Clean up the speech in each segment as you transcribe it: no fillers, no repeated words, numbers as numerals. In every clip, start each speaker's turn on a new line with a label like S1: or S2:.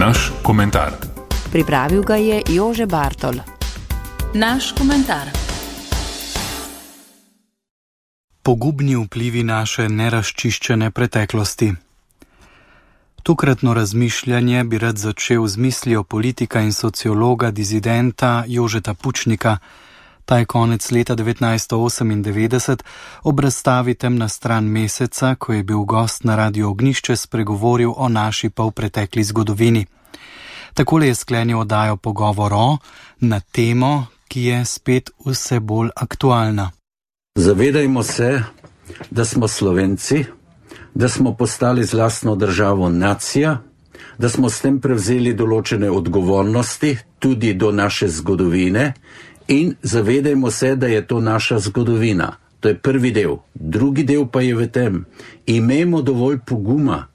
S1: Naš komentar.
S2: Pripravil ga je Jože Bartol.
S3: Naš komentar.
S4: Pogubni vplivi naše nerazčiščene preteklosti. Tokratno razmišljanje bi rad začel z mislijo politika in sociologa dizidenta Jožeta Pučnika. Ta je konec leta 1998 ob razstavi Temna stran meseca, ko je bil gost na Radiu Ognjišče, spregovoril o naši polpretekli zgodovini. Takole je sklenil oddajo Pogovor na temo, ki je spet vse bolj aktualna.
S5: Zavedajmo se, da smo Slovenci, da smo postali z lastno državo nacija, da smo s tem prevzeli določene odgovornosti tudi do naše zgodovine in zavedajmo se, da je to naša zgodovina. To je prvi del. Drugi del pa je v tem, imejmo dovolj poguma,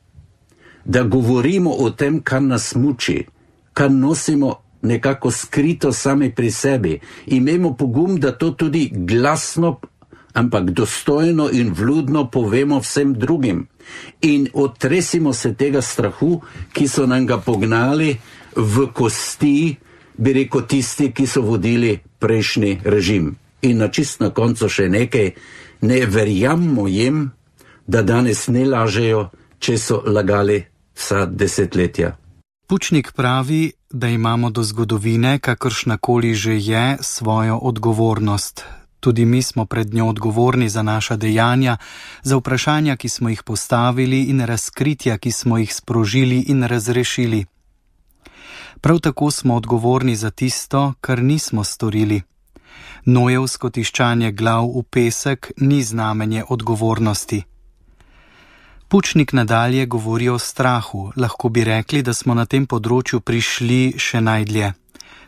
S5: da govorimo o tem, kar nas muči, kar nosimo nekako skrito sami pri sebi. Imejmo pogum, da to tudi glasno, ampak dostojno in vljudno povemo vsem drugim. In otresimo se tega strahu, ki so nam ga pognali v kosti, bi rekel tisti, ki so vodili prejšnji režim. In na koncu še nekaj, ne verjammo jim, da danes ne lažejo, če so lagali vsa desetletja.
S4: Pučnik pravi, da imamo do zgodovine, kakršnakoli že je, svojo odgovornost. Tudi mi smo pred njo odgovorni za naša dejanja, za vprašanja, ki smo jih postavili in razkritja, ki smo jih sprožili in razrešili. Prav tako smo odgovorni za tisto, kar nismo storili. Nojevsko tiščanje glav v pesek ni znamenje odgovornosti. Pučnik nadalje govori o strahu. Lahko bi rekli, da smo na tem področju prišli še najdlje.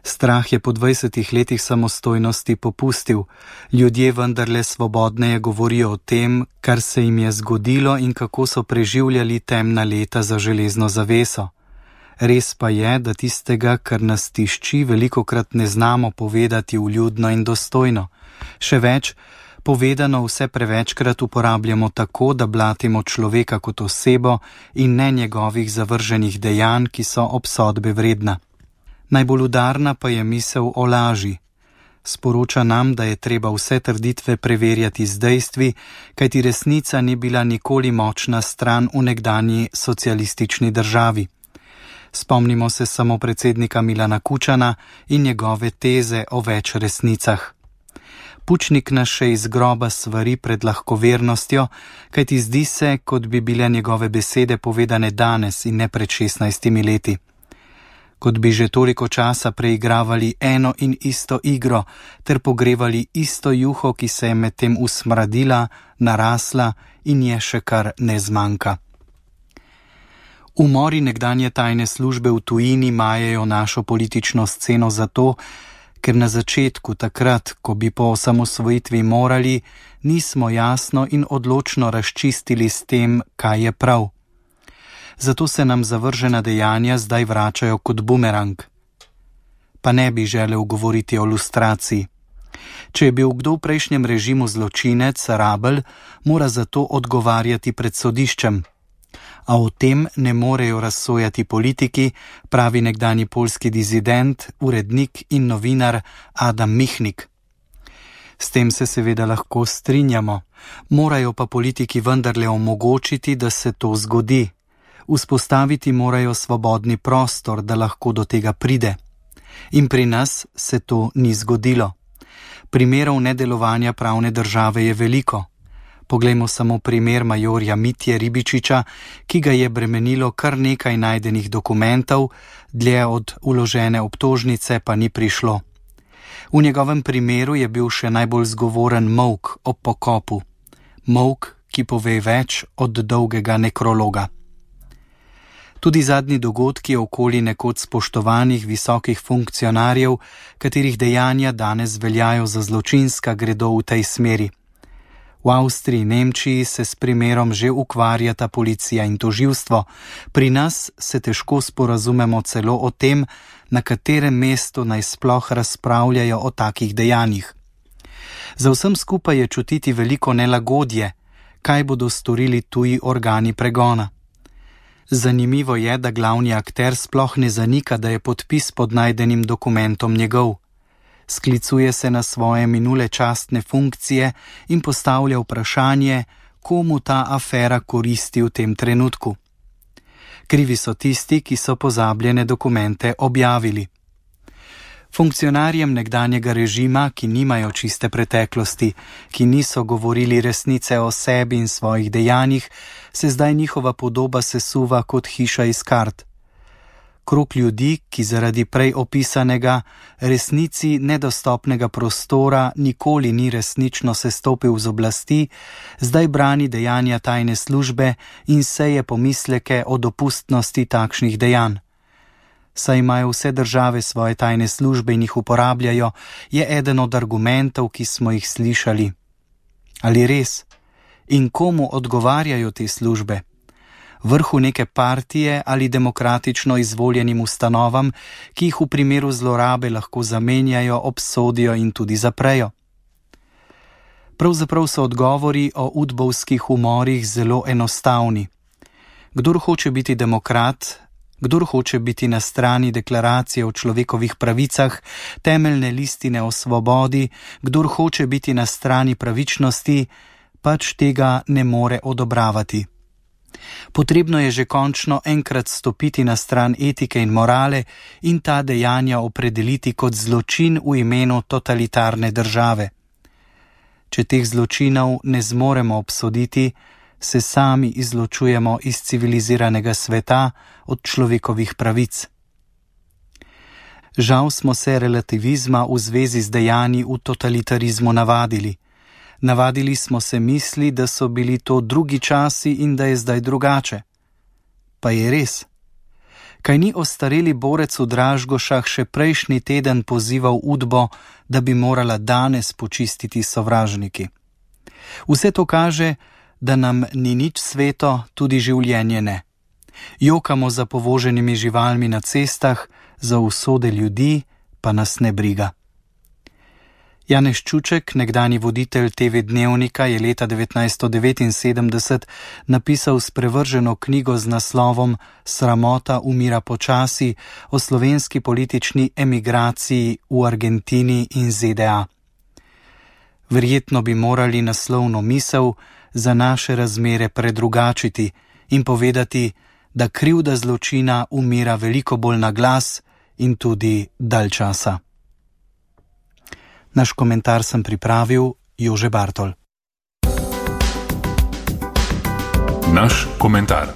S4: Strah je po 20 letih samostojnosti popustil. Ljudje vendarle svobodneje govorijo o tem, kar se jim je zgodilo in kako so preživljali temna leta za železno zaveso. Res pa je, da tistega, kar nas tišči, velikokrat ne znamo povedati vljudno in dostojno. Še več, povedano vse prevečkrat uporabljamo tako, da blatimo človeka kot osebo in ne njegovih zavrženih dejanj, ki so obsodbe vredna. Najbolj udarna pa je misel o laži. Sporoča nam, da je treba vse trditve preverjati z dejstvi, kajti resnica ni bila nikoli močna stran v nekdanji socialistični državi. Spomnimo se samo predsednika Milana Kučana in njegove teze o več resnicah. Pučnik nas še iz groba svari pred lahkovernostjo, kajti zdi se, kot bi bile njegove besede povedane danes in ne pred 16 leti. Kot bi že toliko časa preigravali eno in isto igro ter pogrevali isto juho, ki se je medtem usmradila, narasla in je še kar ne zmanjka. Umori nekdanje tajne službe v tujini majejo našo politično sceno zato, ker na začetku, takrat, ko bi po osamosvojitvi morali, nismo jasno in odločno razčistili s tem, kaj je prav. Zato se nam zavržena dejanja zdaj vračajo kot bumerang. Pa ne bi želel govoriti o lustraciji. Če je bil kdo v prejšnjem režimu zločinec, rabelj, mora zato odgovarjati pred sodiščem. A o tem ne morejo razsojati politiki, pravi nekdanji poljski dizident, urednik in novinar Adam Michnik. S tem se seveda lahko strinjamo, morajo pa politiki vendarle omogočiti, da se to zgodi. Vzpostaviti morajo svobodni prostor, da lahko do tega pride. In pri nas se to ni zgodilo. Primerov nedelovanja pravne države je veliko. Poglejmo samo primer majorja Mitje Ribičiča, ki ga je bremenilo kar nekaj najdenih dokumentov, dlje od vložene obtožnice pa ni prišlo. V njegovem primeru je bil še najbolj zgovoren molk ob pokopu. Molk, ki pove več od dolgega nekrologa. Tudi zadnji dogodki okoli nekoč spoštovanih visokih funkcionarjev, katerih dejanja danes veljajo za zločinska, gredo v tej smeri. V Avstriji in Nemčiji se s primerom že ukvarjata policija in tožilstvo, pri nas se težko sporazumemo celo o tem, na katerem mestu naj sploh razpravljajo o takih dejanjih. Za vsem skupaj je čutiti veliko nelagodje, kaj bodo storili tuji organi pregona. Zanimivo je, da glavni akter sploh ne zanika, da je podpis pod najdenim dokumentom njegov. Sklicuje se na svoje minule častne funkcije in postavlja vprašanje, komu ta afera koristi v tem trenutku. Krivi so tisti, ki so pozabljene dokumente objavili. Funkcionarjem nekdanjega režima, ki nimajo čiste preteklosti, ki niso govorili resnice o sebi in svojih dejanjih, se zdaj njihova podoba sesuva kot hiša iz kart. Krog ljudi, ki zaradi prej opisanega resnici nedostopnega prostora nikoli ni resnično sestopil z oblasti, zdaj brani dejanja tajne službe in seje pomisleke o dopustnosti takšnih dejanj. Saj imajo vse države svoje tajne službe in jih uporabljajo, je eden od argumentov, ki smo jih slišali. Ali res? In komu odgovarjajo te službe? Vrhu neke partije ali demokratično izvoljenim ustanovam, ki jih v primeru zlorabe lahko zamenjajo, obsodijo in tudi zaprejo? Pravzaprav so odgovori o udbovskih umorih zelo enostavni. Kdor hoče biti demokrat, kdor hoče biti na strani deklaracije o človekovih pravicah, temeljne listine o svobodi, kdor hoče biti na strani pravičnosti, pač tega ne more odobravati. Potrebno je že končno enkrat stopiti na stran etike in morale in ta dejanja opredeliti kot zločin v imenu totalitarne države. Če teh zločinov ne zmoremo obsoditi, se sami izločujemo iz civiliziranega sveta od človekovih pravic. Žal smo se relativizma v zvezi z dejanji v totalitarizmu navadili. Navadili smo se misli, da so bili to drugi časi in da je zdaj drugače. Pa je res. Kaj ni ostareli borec v Dražgošah še prejšnji teden pozival Udbo, da bi morala danes počistiti sovražniki? Vse to kaže, da nam ni nič sveto, tudi življenje ne. Jokamo za povoženimi živalmi na cestah, za usode ljudi pa nas ne briga. Janez Čuček, nekdanji voditelj TV Dnevnika, je leta 1979 napisal sprevrženo knjigo z naslovom Sramota umira počasi o slovenski politični emigraciji v Argentini in ZDA. Verjetno bi morali naslovno misel za naše razmere predrugačiti in povedati, da krivda zločina umira veliko bolj na glas in tudi dalj časa. Naš komentar sem pripravil Jože Bartol.
S3: Naš komentar.